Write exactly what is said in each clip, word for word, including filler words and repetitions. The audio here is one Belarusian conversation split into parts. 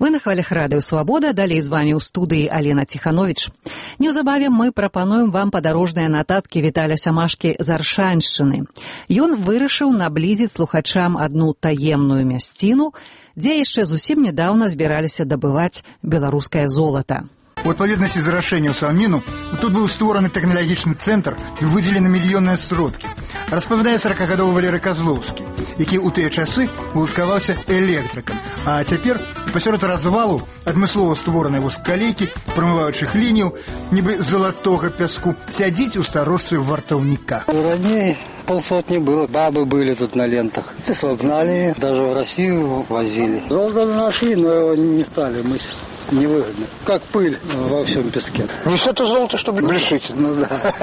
Вы на хвалях радыё «Свабода», далей з вамі ў студыі Алена Ціхановіч. Неўзабаве мы прапануем вам падарожныя нататкі Віталя Сямашкі з Аршаншчыны. Ён вырашыў наблізіць слухачам адну таемную мясціну, дзе яшчэ зусім нядаўна збіраліся дабываць беларускае золата. У адпаведнасці з рашэннем Саўміну тут быў створаны тэхналагічны цэнтр і выдзелены мільённыя сродкі. Распавядае саракагадовы Валерый Козлоўскі, які ў тыя часы уладкаваўся электрыкам, а цяпер пасярод развалу адмыслова створанай вузкалейкі, прамываючых лінію, нібы залатога пяску, сядзіць у старожцы вартаўніка. Раней полсотни было, бабы были тут на лентах. Песок гнали, даже в Россию возили. Золото нашли, но его не стали мыслить. Невыгодно. Как пыль во всем песке. Не все это золото, чтобы грешить. Ну да.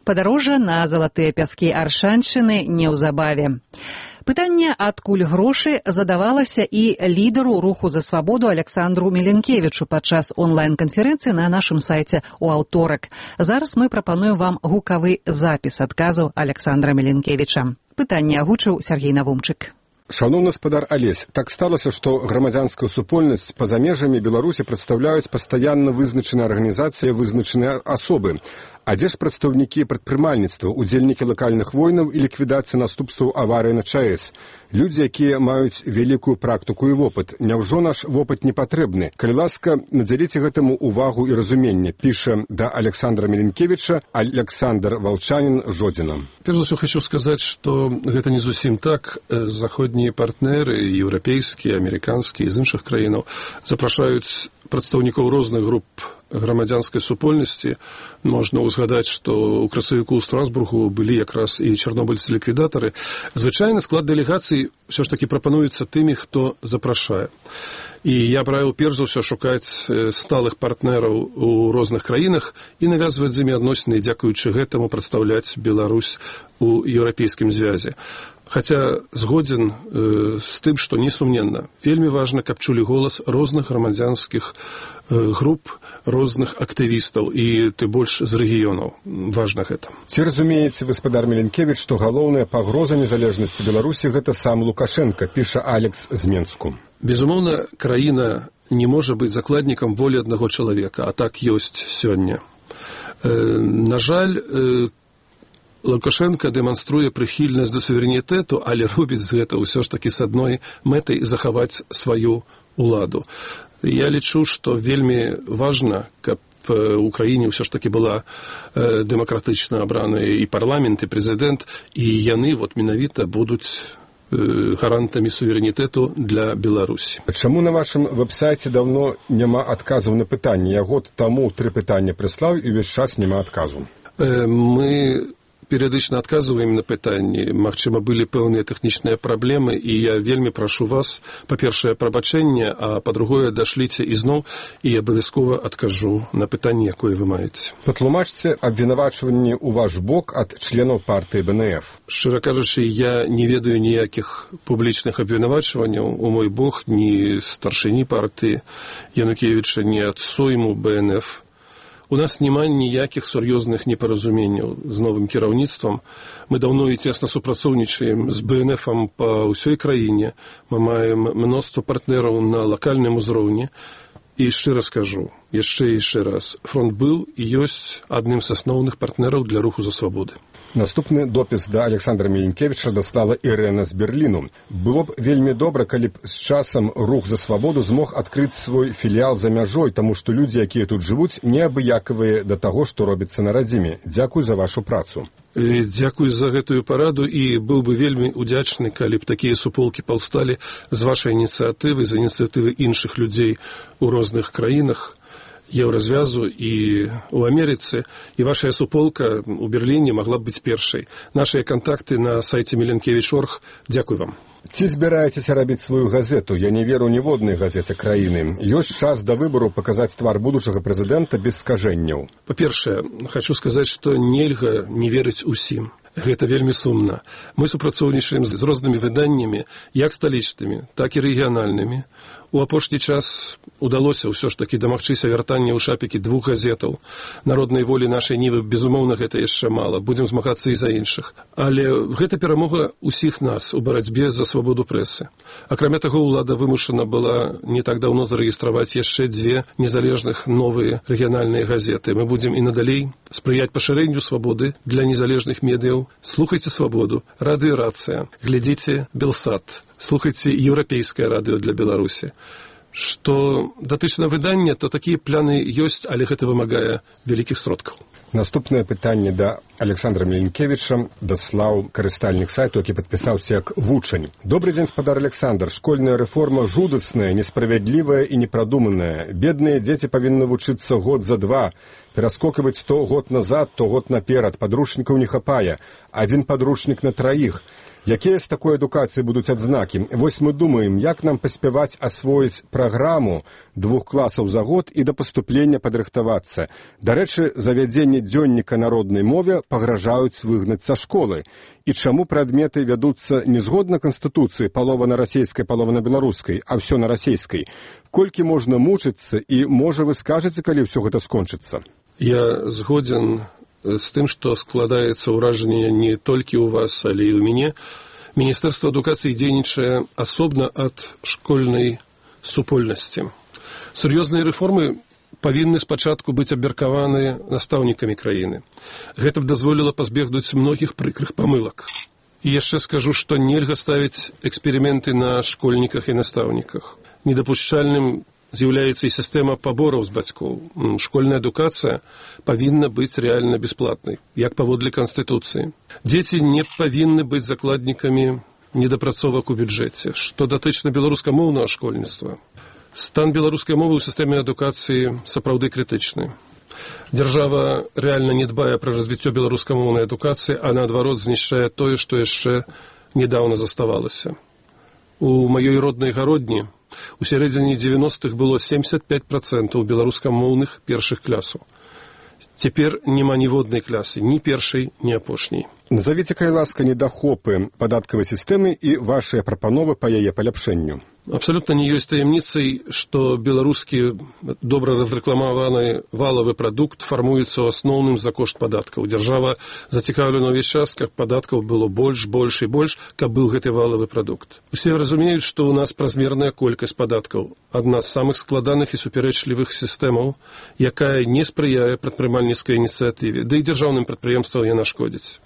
Падарожжа на залатыя пяскі Аршаншчыны неўзабаве. Пытанне, адкуль грошы, задавалася і лідару руху за свабоду Александру Меленкевічу падчас онлайн-канферэнцыі на нашым сайце ў аўторак. Зараз мы прапануем вам гукавы запіс адказаў Александра Меленкевіча. Пытанне агучыў Сергей Навумчык. Шановны спадар Алесь, так сталася, што грамадзянская супольнасць па-за межамі Беларусі прадстаўляюць пастаянна вызначаныя арганізацыі, вызначаныя асобы. А дзе ж прадстаўнікі прадпрымальніцтва, удзельнікі лакальных войнаў і ліквідацыі наступстваў аварыі на ЧАЭС? Людзі, якія маюць вялікую практыку і вопыт. Няўжо наш вопыт не патрэбны? Калі ласка, надзяліце гэтаму увагу і разуменне, піша да Александра Меленкевіча Александр Волчанин Жодзіна. Перш за ўсё хочу сказаць, што гэта не зусім так. Заходнія партнеры, еўрапейскія, амерыканскія, з іншых краінаў запрашаюць прадстаўнікоў розных груп грамадзянскай супольнасці. Можна ўзгадаць, што ў красавіку ў Страсбургу былі якраз і чарнобыльцы-ліквідатары. Звычайна склад дэлегацый ўсё ж такі прапануецца тымі, хто запрашае. І я б раіў перш за ўсё шукаць сталых партнераў у розных краінах і навязваць з імі адносіны, дзякуючы гэтаму прадстаўляць Беларусь у еўрапейскім звязе. Хаця згодзін э, з тым, што несумненна, вельмі важна, каб чулі голас розных грамадзянскіх э, груп, розных актывістаў і ты больш з рэгіёнаў. Важна гэта. Ці разумееце, гаспадар Меленкевіч, што галоўная пагроза незалежнасці Беларусі гэта сам Лукашенка, піша Алекс з Менску. Безумоўна, краіна не можа быць закладнікам волі аднаго чалавека, а так ёсць сёння. Э, на жаль, э, Лукашенко дэманструе прыхільнасць да суверэнітэту, але робіць гэта ўсё ж такі з адной мэтай захаваць сваю ўладу. Я лічу, што вельмі важна, каб у краіне ўсё ж такі была э, дэмакратычна абраная і парламент, і прэзідэнт, і яны вот менавіта будуць э, гарантамі суверэнітэту для Беларусі. Чаму на вашым вэб-сайце даўно няма адказаў на пытанне? Я год таму тры пытання прыслаў і ўвесь час няма адказу. Э, мы перыядычна адказваем на пытанні. Магчыма, былі пэўныя тэхнічныя праблемы, і я вельмі прашу вас, па-першае, прабачэнне, а па-другое, дашліце ізноў, і абавязкова адкажу на пытанне, якое вы маеце. Патлумачце абвінавачванні ў ваш бок ад членаў партыі Бэ Эн Эф. Шчыра кажучы, я не ведаю ніякіх публічных абвінавачванняў у мой бок, ні старшыні партыі Янукевіча, ні ад сойму Бэ Эн Эф. У нас няма ніякіх сур'ёзных непаразуменняў з новым кіраўніцтвам. Мы даўно і цесна супрацоўнічаем з Бэ Эн Эфам па ўсёй краіне. Мы маем мноства партнераў на лакальным узроўні. І шчыра скажу, яшчэ і яшчэ раз, фронт быў і ёсць адным з асноўных партнераў для руху за свабоды. Наступны допіс да Александра Меленкевіча даслала Ірэна з Берліну. Было б вельмі добра, калі б з часам рух за свабоду змог адкрыць свой філіял за мяжой, таму што людзі, якія тут жывуць, неабыякавыя да таго, што робіцца на радзіме. Дзякуй за вашу працу. Дзякуй за гэтую параду і быў бы вельмі удзячны, калі б такія суполкі паўсталі з вашай ініцыятывы, з ініцыятывы іншых людзей у розных краінах Еўразвязу і ў Амерыцы, і вашая суполка ў Берліне магла б быць першай. Нашыя кантакты на сайце меленкевич точка орг. Дзякуй вам. Ці збіраецеся рабіць сваю газету? Я не веру ніводнай газеце краіны. Ёсць час да выбару паказаць твар будучага прэзідэнта без скажэнняў. Па-першае, хочу сказаць, што нельга не верыць усім. Гэта вельмі сумна. Мы супрацоўнічаем з рознымі выданнямі, як сталічнымі, так і рэгіянальнымі, У апошні час удалося ўсё ж такі дамагчыся вяртання ў шапікі двух газетаў. Народнай волі нашай нівы, безумоўна, гэта яшчэ мала. Будзем змагацца і за іншых. Але гэта перамога ўсіх нас у барацьбе за свабоду прэсы. Акрамя таго, улада вымушана была не так даўно зарэгістраваць яшчэ дзве незалежных новыя рэгіянальныя газеты. Мы будзем і надалей спрыяць пашырэнню свабоды для незалежных медыяў. Слухайце свабоду, радыёрацыя, глядзіце Белсат, слухайце еўрапейскае радыё для Беларусі. Што датычна выдання, то такія пляны ёсць, але гэта вымагае вялікіх сродкаў. Наступнае пытанне да Александра Меленкевіча даслаў карыстальнік сайту, які падпісаўся як вучань. Добрый дзень, спадар Александр. Школьная рэформа жудасная, несправядлівая і непрадуманая. Бедныя дзеці павінны вучыцца год за два, пераскокваць то год назад, то год наперад. Падручнікаў не хапае. Адзін падручнік на траіх. Якія з такой адукацыі будуць адзнакі? Вось мы думаем, як нам паспяваць асвоіць праграму двух класаў за год і да паступлення падрыхтавацца. Дарэчы, завядзенне дзённіка народнай мове пагражаюць выгнаць са школы. І чаму прадметы вядуцца не згодна Канстытуцыі, палова на расейскай, палова на беларускай, а ўсё на расейскай? Колькі можна мучыцца і, можа, вы скажаце, калі ўсё гэта скончыцца? Я згодзен з тым, што складаецца ўражанне не толькі ў вас, але і ў мяне. Міністэрства адукацыі дзейнічае асобна ад школьнай супольнасці. Сур'ёзныя рэформы павінны спачатку быць абмеркаваны настаўнікамі краіны. Гэта б дазволіла пазбегнуць многіх прыкрых памылак. І яшчэ скажу, што нельга ставіць эксперыменты на школьніках і настаўніках. Недапушчальным з'яўляецца і сістэма пабораў з бацькоў. Школьная адукацыя павінна быць рэальна бясплатнай, як паводле Канстытуцыі. Дзеці не павінны быць закладнікамі недапрацовак у бюджэце. Што датычна беларускамоўнага школьніцтва, стан беларускай мовы ў сістэме адукацыі сапраўды крытычны. Дзяржава рэальна не дбае пра развіццё беларускамоўнай адукацыі, а наадварот знішчае тое, што яшчэ недаўна заставалася. У маёй роднай гародні у сярэдзіне дзевяностых было семьдесят пять процентов беларускамоўных першых класаў. Цяпер няма ніводнай класы, ні першай, ні апошняй. Назавіце, калі ласка, недахопы падаткавай сістэмы і вашыя прапановы па яе паляпшэнню. Абсалютна не ёсць таямніцай, што беларускі добра разрэкламаваны валавы прадукт фармуецца ў асноўным за кошт падаткаў. Дзяржава зацікаўлена ўвесь час, каб падаткаў было больш, больш і больш, каб быў гэты валавы прадукт. Усе разумеюць, што ў нас празмерная колькасць падаткаў. Адна з самых складаных і супярэчлівых сістэмаў, якая не спрыяе прадпрымальніцкай ініцыятыве, да і дзяржаўным прадпрыемствам яна шкодзіць.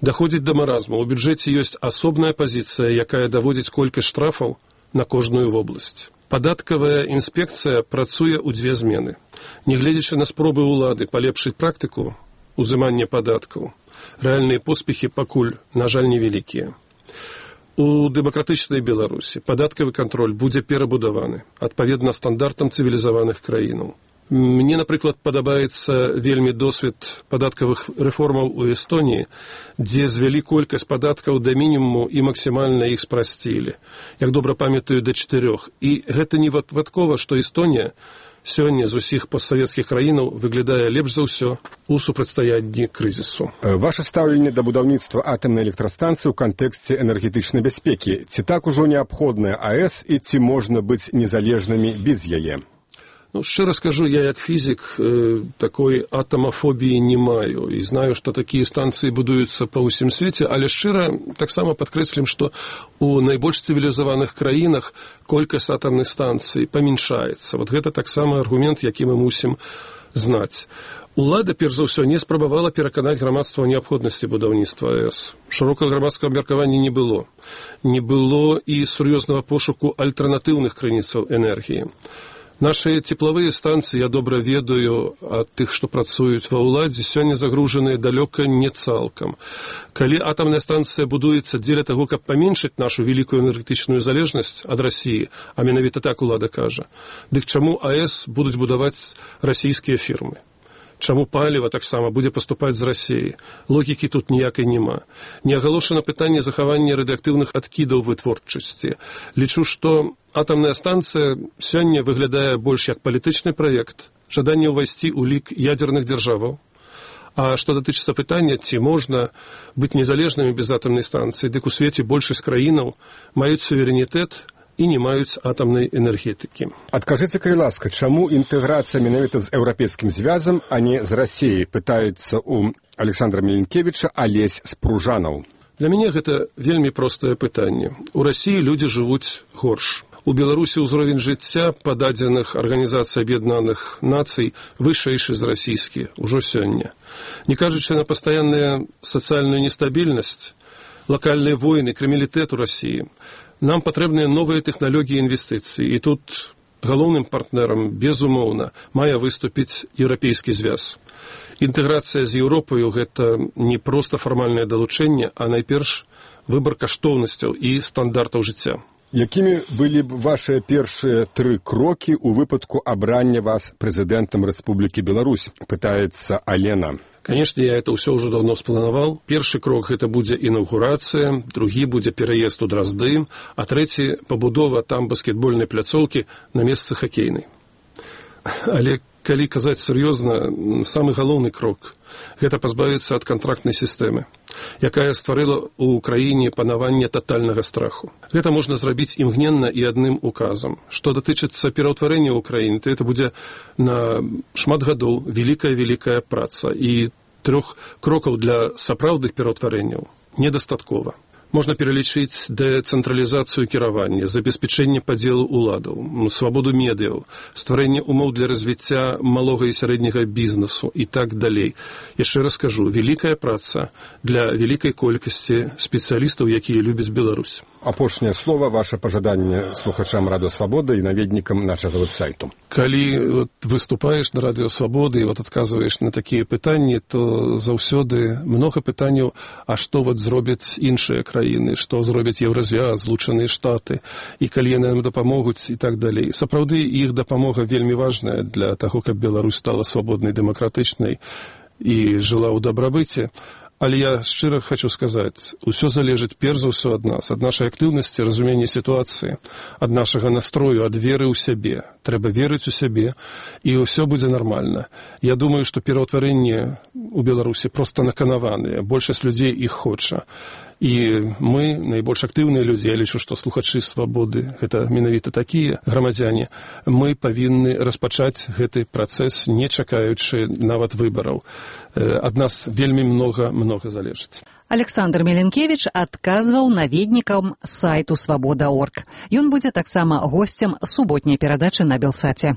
Даходзіць да маразму. У бюджэце ёсць асобная пазіцыя, якая даводзіць колькасць штрафаў на кожную вобласць. Падаткавая інспекцыя працуе ў дзве змены. Нягледзячы на спробы ўлады палепшыць практыку узымання падаткаў, рэальныя поспехі пакуль, на жаль, невялікія. У дэмакратычнай Беларусі падаткавы кантроль будзе перабудаваны адпаведна стандартам цывілізаваных краінаў. Мне, напрыклад, падабаецца вельмі досвед падаткавых рэформаў у Эстоніі, дзе звялі колькасць падаткаў да мінімуму і максімальна іх спрасцілі. Як добра памятаю, да чатырох. І гэта не выпадкова, што Эстонія сёння з усіх постсавецкіх краінаў выглядае лепш за ўсё у супрацьстаянні крызісу. Ваше стаўленне да будаўніцтва атамнай электрастанцыі ў кантэксце энергетычнай бяспекі. Ці так ужо неабходная АЭС і ці можна быць незалежнымі без яе? Ну, шчыра скажу, я як фізік э, такой атамафобіі не маю і знаю, што такія станцыі будуюцца па ўсім свеце, але шчыра таксама падкрэслім, што у найбольш цывілізаваных краінах колькасць атамных станцый памяншаецца. Вот гэта таксама аргумент, які мы мусім знаць. Улада, перш за ўсё, не спрабавала пераканаць грамадства ў неабходнасці будаўніцтва АЭС. Шырокага грамадскага абмеркавання не было. Не было і сур'ёзнага пошуку альтэрнатыўных крыніцаў энергіі. Нашыя цеплавыя станцыі, я добра ведаю ад тых, што працуюць ва ўладзе, сёння загружаныя далёка не цалкам. Калі атамная станцыя будуецца дзеля таго, каб паменшыць нашу вялікую энергетычную залежнасць ад Расіі, а менавіта так улада кажа, дык чаму АЭС будуць будаваць расійскія фірмы? Чаму паліва таксама будзе паступаць з Расіі? Логікі тут ніякай няма. Не агалошана пытанне захавання радыеактыўных адкідаў вытворчасці. Лічу, што атамная станцыя сёння выглядае больш як палітычны праект, жаданне ўвайсці ў лік ядзерных дзяржаваў. А што датычыцца пытання, ці можна быць незалежнымі без атамнай станцыі, дык у свеце большасць краінаў маюць суверэнітэт і не маюць атамнай энергетыкі. Адкажыце, калі ласка, чаму інтэграцыя менавіта з еўрапейскім звязам, а не з Расіяй, пытаецца ў Александра Меленкевіча Алесь Спружанаў. Для мяне гэта вельмі простае пытанне. У Расіі людзі жывуць горш. У Беларусі ўзровень жыцця па дадзеных Арганізацыі Аб'яднаных Нацый вышэйшы з расійскі ўжо сёння. Не кажучы на пастаянную сацыяльную нестабільнасць, лакальныя войны, крыміналітэт у Расіі, нам патрэбныя новыя тэхналогіі інвестыцый. І тут галоўным партнерам, безумоўна, мае выступіць еўрапейскі звяз. Інтэграцыя з Еўропаю – гэта не проста фармальнае далучэнне, а найперш выбар каштоўнасцяў і стандартаў жыцця. Якімі былі б вашыя першыя тры крокі ў выпадку абрання вас прэзідэнтам Рэспублікі Беларусь, пытаецца Алена. Конечно, я это ўсё ўжо давно спланаваў. Першы крок гэта будзе інаўгурацыя, другі будзе пераезд у Дразды, а трэці пабудова там баскетбольнай пляцоўкі на месцы хакейнай. Але калі казаць сур'ёзна, самы галоўны крок гэта пазбавіцца ад кантрактнай сістэмы, якая стварыла ў краіне панаванне татальнага страху. Гэта можна зрабіць імгненна і адным указам. Што датычыцца пераўтварэння ў краіне, то это будзе на шмат гадоў вялікая-вялікая праца, і трох крокаў для сапраўдных пераўтварэнняў недастаткова. Можна пералічыць дэцэнтралізацыю кіравання, забеспячэнне падзелу ўладаў, свабоду медыяў, стварэнне умоў для развіцця малога і сярэдняга бізнесу і так далей. Яшчэ раз кажу, вялікая праца для вялікай колькасці спецыялістаў, якія любяць Беларусь. Апошняе слова, ваше пажаданне слухачам Радыё Свабода і наведнікам нашага веб-сайту. Калі вот, выступаеш на Радыё Свабоды і вот, адказваеш на такія пытанні, то заўсёды многа пытанняў, а што вот, зробяць іншыя краіны, што зробяць Еўразвяз, Злучаныя Штаты, і калі яны нам дапамогуць і так далей. Сапраўды, іх дапамога вельмі важная для таго, каб Беларусь стала свабоднай, дэмакратычнай і жыла ў дабрабыце. Але я шчыра хочу сказаць, усё залежыць перш за ўсё ад нас, ад нашай актыўнасці, разумення сітуацыі, ад нашага настрою, ад веры ў сябе. Трэба верыць у сябе, і ўсё будзе нармальна. Я думаю, што пераўтварэнне у Беларусі проста наканаваныя, большасць людзей іх хоча. І мы, найбольш актыўныя людзі, я лічу, што слухачы Свабоды, гэта менавіта такія грамадзяне, мы павінны распачаць гэты працэс, не чакаючы нават выбараў. Ад нас вельмі многа-многа залежыць. Александр Меленкевич адказваў наведнікам сайту свабода точка орг. Ён будзе таксама госцем суботняй перадачы на Белсаце.